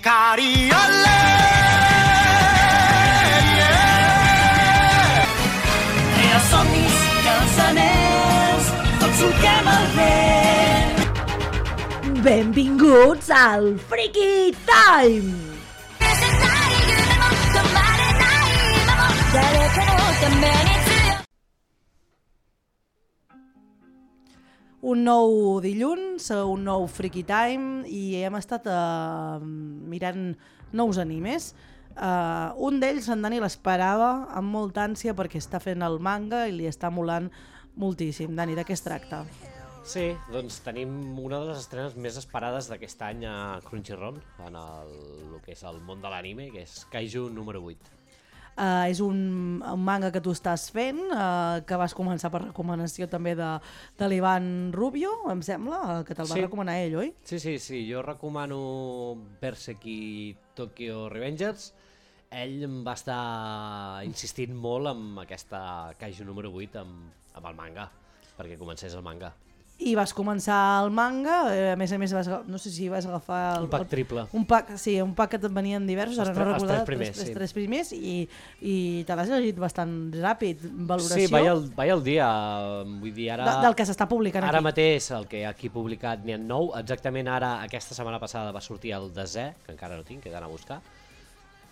Cariole! Els somnis i els anells, tots solquem el vent. Benvinguts al Freaky Time! Un nou dilluns, un nou Freaky Time i hem estat mirant nous animes. Un d'ells, en Dani, l'esperava amb molta ànsia perquè està fent el manga i li està molant moltíssim. Dani, de què es tracta? Sí, doncs tenim una de les estrenes més esperades d'aquest any a Crunchyroll, en el que és el món de l'anime, que és Kaiju número 8. És un manga que tu estàs fent, que vas començar per recomanació també de l'Ivan Rubio, em sembla, que te'l va recomanar ell, oi? Sí, jo recomano Berserk Tokyo Revengers. Ell em va estar insistint molt amb aquesta Kaiju número 8 amb el manga, perquè comencés el manga. I vas començar el manga, a més, no sé si vas agafar... Un pack triple. Un pack que te'n venien diversos, ara no recordo, els tres primers, i te l'has llegit bastant ràpid, valoració. Sí, vaig al dia, vull dir, ara... Del que s'està publicant aquí. Ara mateix, el que aquí publicat n'hi ha 9, exactament ara, aquesta setmana passada va sortir el 10è, que encara no tinc, que he d'anar a buscar.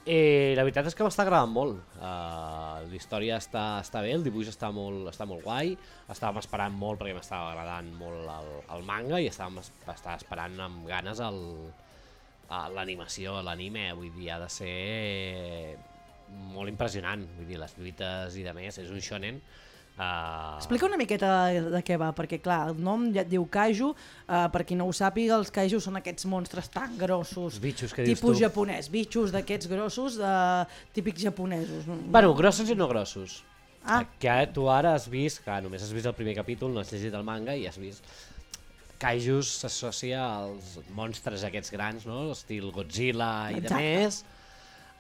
La veritat és que m'està agradant molt, la història està bé, el dibuix està molt guai, estàvem esperant molt perquè m'estava agradant molt el manga i estava esperant amb ganes l'animació, l'anime, vull dir, ha de ser molt impressionant, vull dir, les lluites i de més, és un shonen. Explica una miqueta de què va, perquè clar, el nom ja et diu Kaiju, per qui no ho sàpiga, els Kaiju són aquests monstres tan grossos, tipus japonès, bitxos d'aquests grossos, típics japonesos. Bueno, grossos i no grossos. Que tu ara has vist, que només has vist el primer capítol, no has llegit el manga i has vist... Kaijus s'associa als monstres aquests grans, no? Estil Godzilla i de més.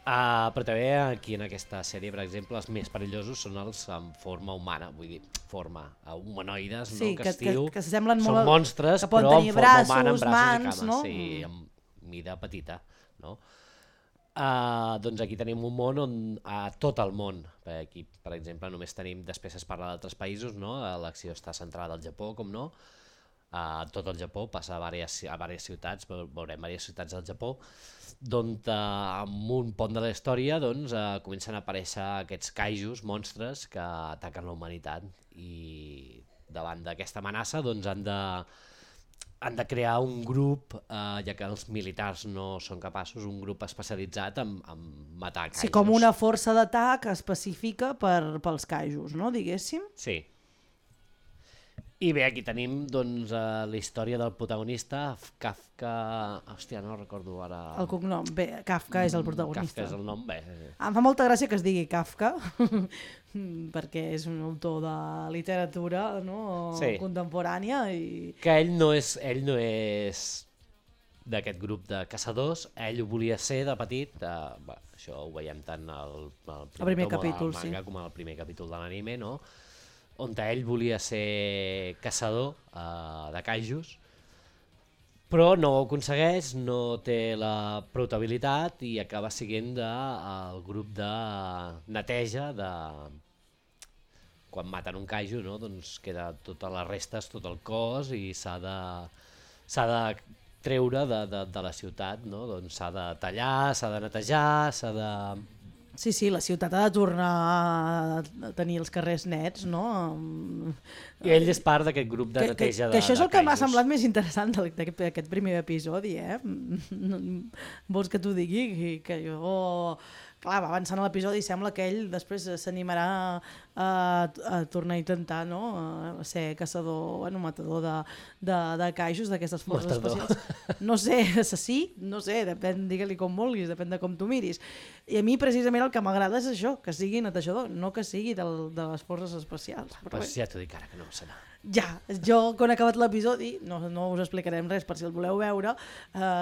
Però també aquí en aquesta sèrie, per exemple, els més perillosos són els amb forma humana, vull dir, forma humanoides, sí, no? Que s'assemblen molt... Són monstres, però amb forma humana, amb braços mans, i cames, no? Sí, amb mida petita, no? Doncs aquí tenim un món on a tot el món, aquí per exemple només tenim, després es parla d'altres països, no? L'acció està centrada al Japó, com no? Tot el Japó, passa a diverses ciutats, veurem diverses ciutats del Japó, d'on amb un pont de la història comencen a aparèixer aquests kaijus, monstres, que ataquen la humanitat i davant d'aquesta amenaça han de crear un grup, ja que els militars no són capaços, un grup especialitzat en matar kaijus. Sí, com una força d'atac específica pels kaijus, no, diguéssim? Sí. I bé, aquí tenim doncs, la història del protagonista, Kafka... Hòstia, no recordo ara... El cognom. Bé, Kafka és el protagonista. Kafka és el nom, bé. Em fa molta gràcia que es digui Kafka, perquè és un autor de literatura, no? Sí. Contemporània. I... Que ell no és d'aquest grup de caçadors, ell ho volia ser de petit, això ho veiem tant al primer capítol del manga com al primer capítol de l'anime, no? On ell volia ser caçador de kaijus, però no ho aconsegueix, no té la protabilitat i acaba sent el grup de neteja quan maten un kaiju, no? Doncs queda totes les restes, tot el cos i s'ha de treure de la ciutat, no? Doncs s'ha de tallar, s'ha de netejar, s'ha de... Sí, la ciutat ha de tornar a tenir els carrers nets, no? I ell és part d'aquest grup de neteja de que això és el que m'ha kaijus. semblat més interessant d'aquest primer episodi, eh? Vols que t'ho digui? Que jo... Clar, va avançant a l'episodi i sembla que ell després s'animarà a tornar a intentar, no? A ser caçador, bueno, matador de kaijus, d'aquestes forces especials. No sé, assassí, no sé, depèn, digue-li com vulguis, depèn de com tu miris. I a mi precisament el que m'agrada és això, que sigui netejador, no que sigui de les forces especials. Pues ja t'ho dic ara que no ho serà. Ja, jo quan he acabat l'episodi, no us explicarem res per si el voleu veure,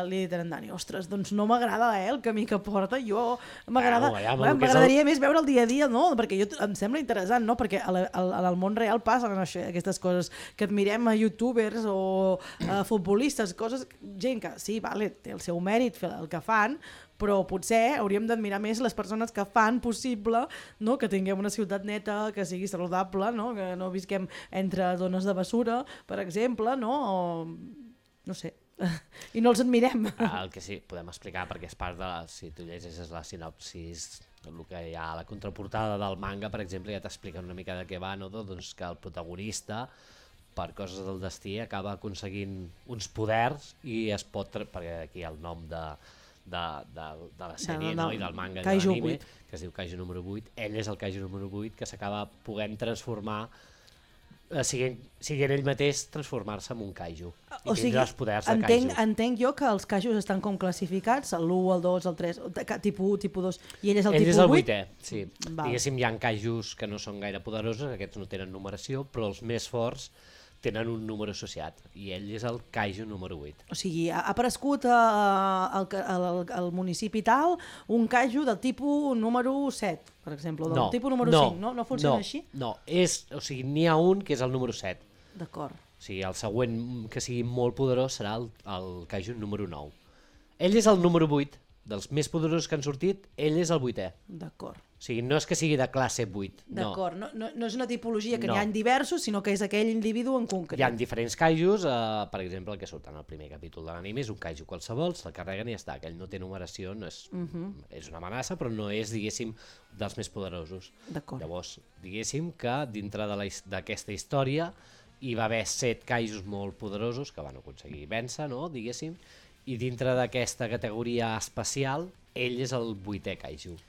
li he dit a en Dani, ostres, doncs no m'agrada el camí que porta, jo m'agradaria més veure el dia a dia, no? Perquè em sembla interessant, no? Perquè en el món real passen aquestes coses que admirem a youtubers o a futbolistes, coses, gent que sí, vale, té el seu mèrit fer el que fan, però potser hauríem d'admirar més les persones que fan possible, no? Que tinguem una ciutat neta, que sigui saludable, no? Que no visquem entre zones de bessura, per exemple, no? O, no sé, i no els admirem. El que sí, podem explicar, perquè és part de si tu llegeixes la sinopsis, el que hi ha a la contraportada del manga, per exemple, ja t'explica una mica de què va, no? Doncs que el protagonista, per coses del destí, acaba aconseguint uns poders i es pot... perquè aquí el nom de la sèrie i del manga i de l'anime, que es diu Kaiju número 8, ell és el Kaiju número 8 que s'acaba podent transformar, siguent ell mateix transformar-se en un Kaiju i tindrà els poders de Kaiju. Entenc jo que els Kaijus estan com classificats, l'1, el 2, el 3, tipus 1, tipus 2, i ell és el tipus 8? Ell és el 8è, sí. Diguéssim, hi ha Kaijus que no són gaire poderosos, aquests no tenen numeració, però els més forts tenen un número associat, i ell és el Kaiju número 8. O sigui, ha aparegut al municipi tal un Kaiju del tipus número 7, per exemple, o del tipus número 5, no? No funciona així? No, o sigui, n'hi ha un que és el número 7. D'acord. O sigui, el següent que sigui molt poderós serà el Kaiju número 9. Ell és el número 8, dels més poderosos que han sortit, ell és el 8è. D'acord. O sigui, no és que sigui de classe 8. D'acord, no és una tipologia que n'hi ha diversos, sinó que és aquell individu en concret. Hi ha diferents kaijus, per exemple, el que surt en el primer capítol de l'anime és un kaiju qualsevol, se'l carreguen i ja està. Aquell no té numeració, és una amenaça, però no és, diguéssim, dels més poderosos. D'acord. Llavors, diguéssim que dintre d'aquesta història hi va haver 7 kaijus molt poderosos que van aconseguir vèncer, no? Diguéssim, i dintre d'aquesta categoria especial, ell és el 8è kaiju.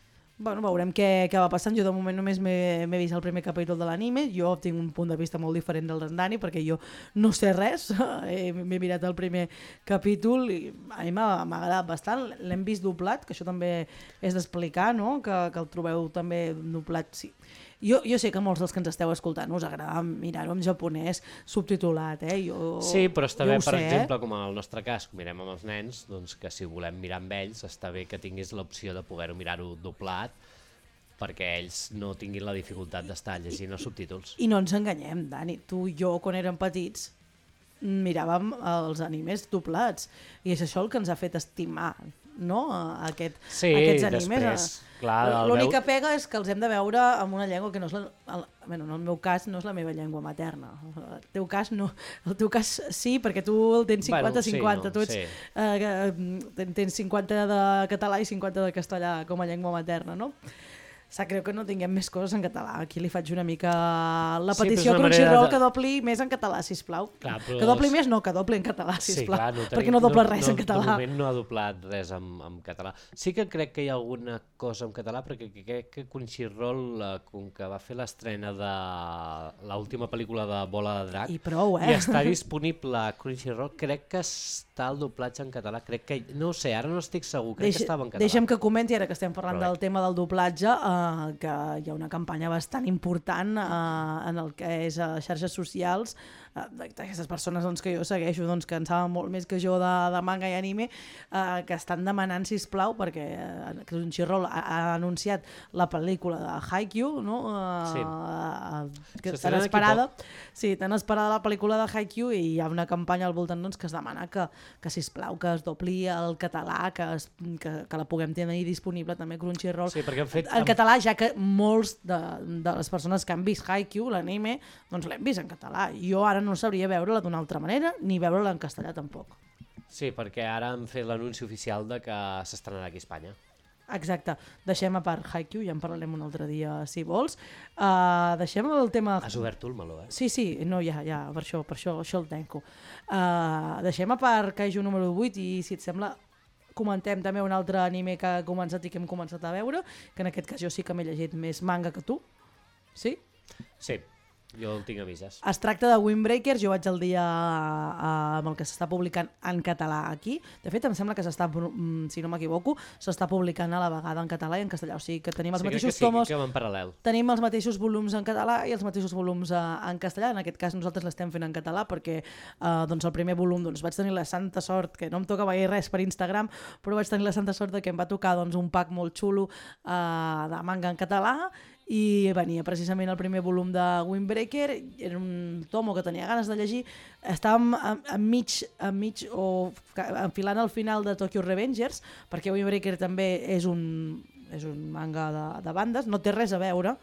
Bueno, veurem què va passant. Jo de moment només m'he vist el primer capítol de l'anime. Jo tinc un punt de vista molt diferent del d'en Dani perquè jo no sé res. M'he mirat el primer capítol i a mi m'ha agradat bastant. L'hem vist doblat, que això també és d'explicar, no? Que el trobeu també doblat. Sí. Jo sé que molts dels que ens esteu escoltant us agrada mirar-ho en japonès subtitulat, sí, però està bé, per exemple, com en el nostre cas, mirem amb els nens, doncs que si volem mirar amb ells, està bé que tinguis l'opció de poder-ho mirar-ho doblat perquè ells no tinguin la dificultat d'estar llegint els subtítols. I no ens enganyem, Dani, tu i jo, quan érem petits, miràvem els animes doblats i és això el que ens ha fet estimar, no? Aquests animes. Després, clar... L'única pega és que els hem de veure amb una llengua que no és en el meu cas no és la meva llengua materna. El teu cas sí, perquè tu el tens 50-50. Tu tens 50 de català i 50 de castellà com a llengua materna, no? Sap greu que no tinguem més coses en català. Aquí li faig una mica la petició a Crunchyroll que dobli més en català, sisplau. Clar, però... Que dobli més, no, que dobli en català, sisplau. Sí, perquè no dobla res en català. De moment no ha doblat res en català. Sí que crec que hi ha alguna cosa en català, perquè crec que Crunchyroll, com que va fer l'estrena de l'última pel·lícula de Bola de Drac, i prou, i està disponible a Crunchyroll, crec que està el doblatge en català. Crec que, no ho sé, ara no estic segur, crec que estava en català. Deixa'm que comenti, ara que estem parlant del tema del doblatge, que hi ha una campanya bastant important en el que és a xarxes socials d'aquestes persones que jo segueixo, que en saben molt més que jo de manga i anime, que estan demanant, sisplau, perquè Crunchyroll ha anunciat la pel·lícula de Haikyuu, no? Tan esperada. Sí, tan esperada la pel·lícula de Haikyuu, i hi ha una campanya al voltant que es demana que sisplau, que es dobli el català, que la puguem tenir disponible també a Crunchyroll. Sí, perquè han fet... En català, ja que molts de les persones que han vist Haikyuu, l'anime, doncs l'hem vist en català. Jo ara no sabria veure-la d'una altra manera, ni veure-la en castellà tampoc. Sí, perquè ara han fet l'anunci oficial de que s'estrenarà aquí a Espanya. Exacte. Deixem a part Haikyuu, ja en parlarem un altre dia, si vols. Deixem el tema... Has obert tu el meló, Sí, no, ja, per això el tanco. Deixem a part Kaiju número 8 i, si et sembla, comentem també un altre anime que ha començat i que hem començat a veure, que en aquest cas jo sí que m'he llegit més manga que tu. Sí? Sí. Jo el tinc a mitges. Es tracta de Windbreakers, jo vaig al dia amb el que s'està publicant en català aquí. De fet, em sembla que s'està, si no m'equivoco, s'està publicant a la vegada en català i en castellà. O sigui que tenim els mateixos tomos, que va en paral·lel. tenim els mateixos volums en català i els mateixos volums en castellà. En aquest cas nosaltres l'estem fent en català perquè doncs el primer volum vaig tenir la santa sort, que no em toca veure res per Instagram, però vaig tenir la santa sort de que em va tocar un pack molt xulo de manga en català i venia precisament el primer volum de Windbreaker. Era un tomo que tenia ganes de llegir. Estàvem enmig o enfilant al final de Tokyo Revengers, perquè Windbreaker també és un manga de bandes, no té res a veure,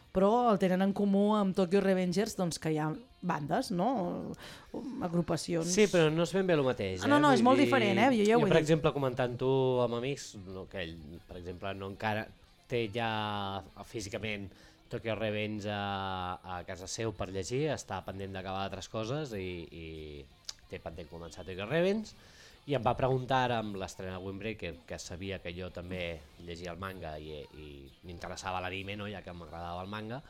però el tenen en comú amb Tokyo Revengers, doncs que hi ha bandes, no? Agrupacions. Sí, però no és ben bé el mateix. No, és molt diferent, Jo, per exemple, comentant-ho amb amics, que ell, per exemple, no encara té ja físicament Tokyo Revenge a casa seu per llegir, està pendent d'acabar altres coses i té pendent començar Tokyo Revenge, i em va preguntar ara amb l'estrena de Windbreaker, que sabia que jo també llegia el manga i m'interessava l'anime, no? Ja que m'agradava el manga,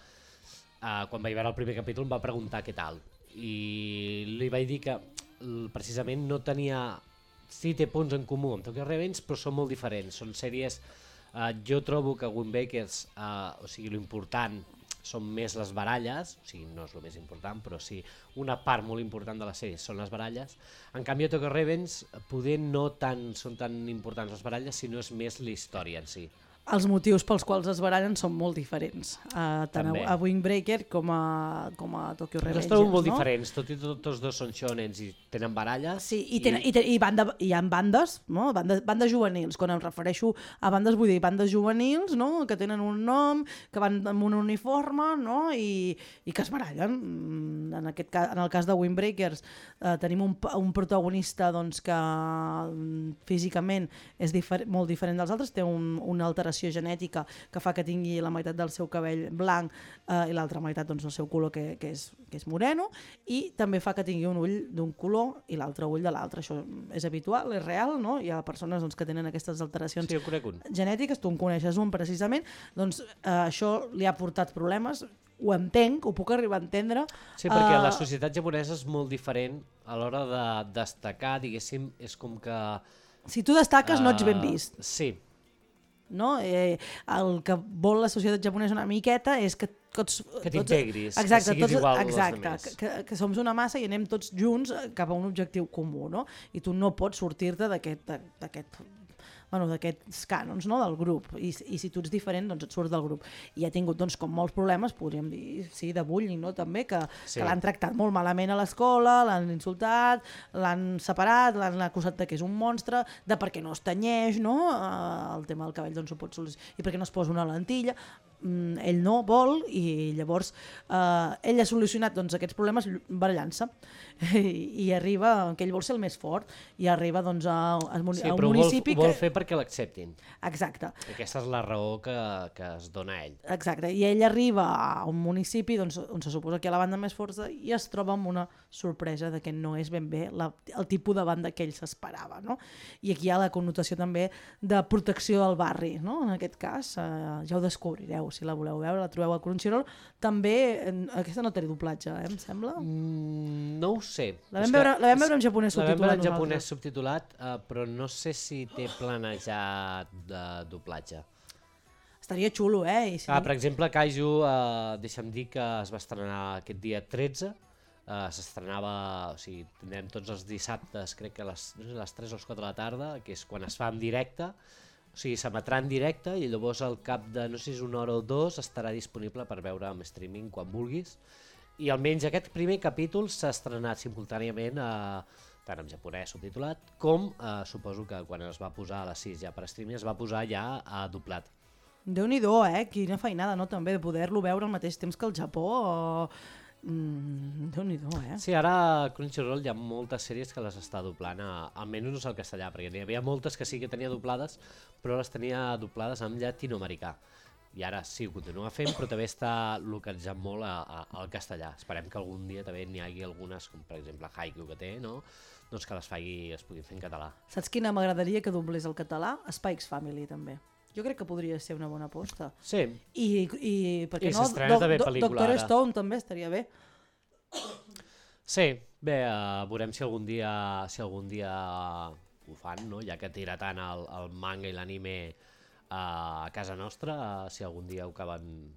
quan vaig veure el primer capítol em va preguntar què tal, i li vaig dir que precisament no tenia... Sí, té punts en comú amb Tokyo Revenge, però són molt diferents, són sèries... Jo trobo que Windbreakers, o sigui, l'important són més les baralles, o sigui, no és el més important, però sí, una part molt important de la sèrie són les baralles. En canvi, a Tokyo Revenge, poder no són tan importants les baralles, sinó és més la història en si. Els motius pels quals es barallen són molt diferents, tant a Windbreaker com a Tokyo Revengers. Els trobo molt diferents, tot i tots dos són shonens i tenen baralles. Sí, i hi ha bandes, no? Bandes juvenils. Quan em refereixo a bandes, vull dir bandes juvenils, no? Que tenen un nom, que van amb un uniforme, no? I que es barallen. En el cas de Windbreakers tenim un protagonista doncs, que físicament és molt diferent dels altres, té una alteració genètica que fa que tingui la meitat del seu cabell blanc i l'altra meitat doncs, el seu color que és moreno, i també fa que tingui un ull d'un color i l'altre ull de l'altre. Això és habitual, és real, no? Hi ha persones doncs, que tenen aquestes alteracions genètiques, tu en coneixes un precisament, doncs això li ha portat problemes. Ho entenc, ho puc arribar a entendre. Sí, perquè la societat japonesa és molt diferent a l'hora de destacar, diguéssim, és com que... Si tu destaques no ets ben vist. Sí. No? El que vol la societat japonesa una miqueta és que t'integris, que siguis igual als altres. Que som una massa i anem tots junts cap a un objectiu comú, no? I tu no pots sortir-te d'aquests cànons, no? Del grup, i si tu ets diferent doncs et surts del grup, i ha tingut doncs, com molts problemes, podríem dir, sí, de bullying, no? També, que l'han tractat molt malament a l'escola, l'han insultat, l'han separat, l'han acusat que és un monstre, de per què no es tenyeix, no? El tema del cabell doncs ho pot solucionar, i per què no es posa una lentilla. Ell no vol, i llavors ell ha solucionat doncs, aquests problemes barallant-se, i arriba, que ell vol ser el més fort, i arriba doncs, a un municipi... Sí, però ho vol fer perquè l'acceptin. Exacte. Aquesta és la raó que es dona a ell. Exacte, i ell arriba a un municipi doncs, on se suposa que hi ha la banda més forta i es troba amb una sorpresa de que no és ben bé el tipus de banda que ell s'esperava, no? I aquí hi ha la connotació també de protecció del barri, no? En aquest cas, ja ho descobrireu, si la voleu veure, la trobeu a Crunchyroll. També, aquesta no té doblatge, em sembla? No ho sé. La vam veure en japonès subtitulat. La vam veure en japonès subtitulat, però no sé si té planejat de doblatge. Estaria xulo, Per exemple, Kaiju, deixa'm dir que es va estrenar aquest dia 13, s'estrenava, o sigui, tindrem tots els dissabtes, crec que a les 3 o les 4 de la tarda, que és quan es fa en directe, o sigui, s'emetrà en directe i llavors al cap de, no sé si és una hora o dues, estarà disponible per veure en streaming quan vulguis. I almenys aquest primer capítol s'ha estrenat simultàniament tant en japonès subtitulat com suposo que quan es va posar a les 6 ja per streaming es va posar ja doblat. Déu-n'hi-do, quina feinada, no? També de poder-lo veure al mateix temps que el Japó. Déu-n'hi-do, Sí, ara a Crunchyroll hi ha moltes sèries que les està doblant, almenys al castellà, perquè n'hi havia moltes que sí que tenia doblades, però les tenia doblades en llatinoamericà. I ara sí, ho continua fent, però també està localitzant molt al castellà. Esperem que algun dia també n'hi hagi algunes, com per exemple Haikyuu que té, no? Doncs que es puguin fer en català. Saps quina m'agradaria que doblés el català? Spy X Family, també. Jo crec que podria ser una bona aposta. Sí. I per què I no? s'estrena també pel·lícula Doctor ara. Stone també estaria bé. Sí, bé, veurem si algun dia ho fan, no? Ja que tira tant el manga i l'anime a casa nostra, si algun dia ho acaben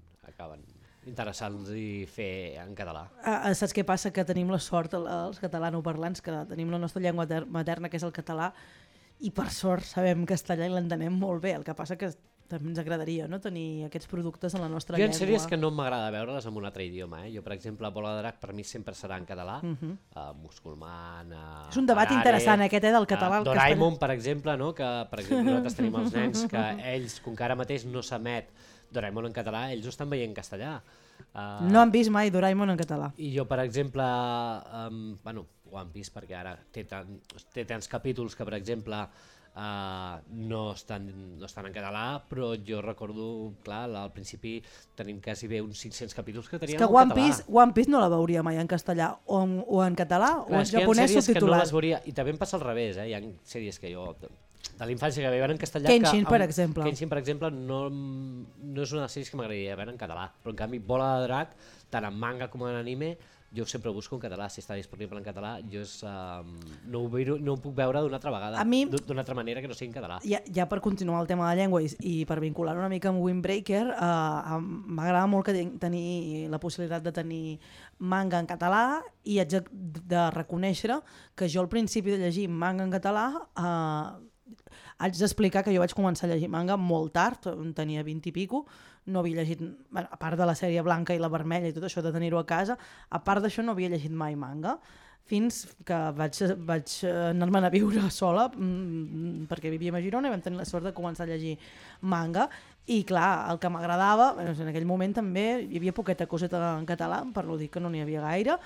interessants i fer en català. Saps què passa? Que tenim la sort, els catalanoparlants, que tenim la nostra llengua materna, que és el català, i per sort sabem castellà i l'entenem molt bé. El que passa que també ens agradaria, no?, tenir aquests productes en la nostra llengua. Jo en sèries que no m'agrada veure-les en un altre idioma. Jo, per exemple, Bola de Drac per mi sempre serà en català, Musculman... És un debat interessant aquest, del català al Doraemon, per exemple, no?, que per exemple nosaltres tenim els nens que ells, com que ara mateix no s'emet Doraemon en català, ells ho estan veient en castellà. No han vist mai Doraemon en català. I jo, per exemple, ho han vist perquè ara té tants capítols que, per exemple, no estan en català, però jo recordo, clar, al principi tenim quasi bé uns 500 capítols que teníem en català. És que One Piece no la veuria mai en castellà, o en català, o en japonès subtitulat. Que no les veuria, i també em passa al revés, hi ha sèries que jo... de la infància que veien en castellà... Kenshin, per exemple. Kenshin, per exemple, no és una de les sèries que m'agradaria veure en català, però en canvi Bola de Drac, tant en manga com en anime, jo sempre ho busco en català. Si està disponible en català, jo no ho puc veure d'una altra vegada, d'una altra manera que no sigui en català. Ja per continuar el tema de la llengua i per vincular una mica amb Windbreaker, m'agrada molt tenir la possibilitat de tenir manga en català, i haig de reconèixer que jo al principi de llegir manga en català haig d'explicar que jo vaig començar a llegir manga molt tard, tenia 20 i pico, no havia llegit, a part de la sèrie blanca i la vermella i tot això de tenir-ho a casa, a part d'això no havia llegit mai manga, fins que vaig anar-me'n a viure sola, perquè vivíem a Girona i vam tenir la sort de començar a llegir manga, i clar, el que m'agradava, en aquell moment també hi havia poqueta coseta en català, per no dir que no n'hi havia gaire,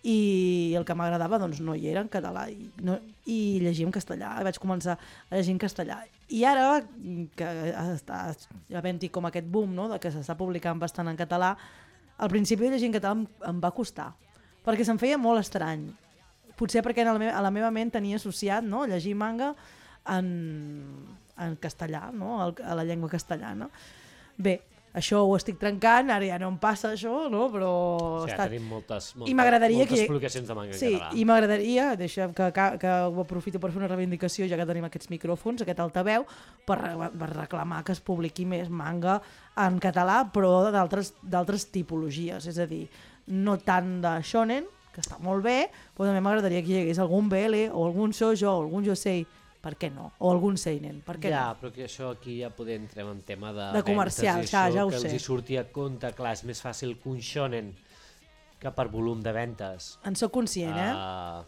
i el que m'agradava doncs no hi era en català i llegia en castellà, vaig començar a llegir en castellà. I ara que està havent-hi com aquest boom, no?, de que s'està publicant bastant en català, al principi de llegir en català em va costar, perquè se'm feia molt estrany. Potser perquè a la meva ment tenia associat, no?, llegir manga en castellà, no?, a la llengua castellana. Bé, això ho estic trencant, ara ja no em passa això, no? Però... Sí, ja tenim moltes publicacions de manga en català. Sí, i m'agradaria, deixa'm que ho aprofito per fer una reivindicació, ja que tenim aquests micròfons, aquest altaveu, per reclamar que es publiqui més manga en català, però d'altres tipologies, és a dir, no tant de shonen, que està molt bé, però també m'agradaria que hi hagués algun BL o algun shoujo o algun josei, per què no? O algun seinen, per què no? Ja, però que això aquí ja podem entrar en tema de comercial, ja ho sé. Que els hi surti a compte, clar, és més fàcil que un shonen que per volum de ventes. En soc conscient,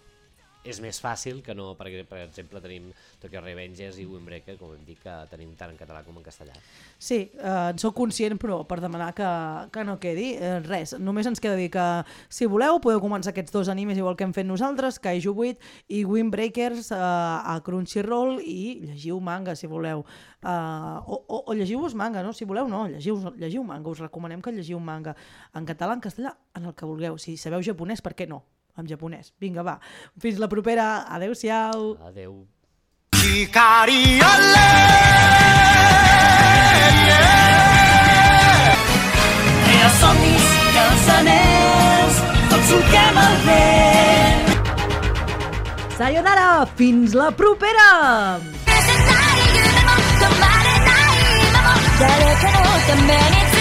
És més fàcil que no, perquè per exemple tenim Tokyo Revengers i Windbreaker, com hem dit, que tenim tant en català com en castellà. Sí, en soc conscient, però per demanar que no quedi res. Només ens queda dir que, si voleu, podeu començar aquests dos animes igual que hem fet nosaltres, Kaiju 8 i Windbreakers a Crunchyroll, i llegiu manga, si voleu. O llegiu-vos manga, no? Si voleu, no, llegiu manga. Us recomanem que llegiu manga en català, en castellà, en el que vulgueu. Si sabeu japonès, per què no? En japonès. Vinga, va. Fins la propera. Adéu-siau. Adéu. Crea somnis i els anells, tots solquem el vent. Sayonara! Fins la propera! 誰かのために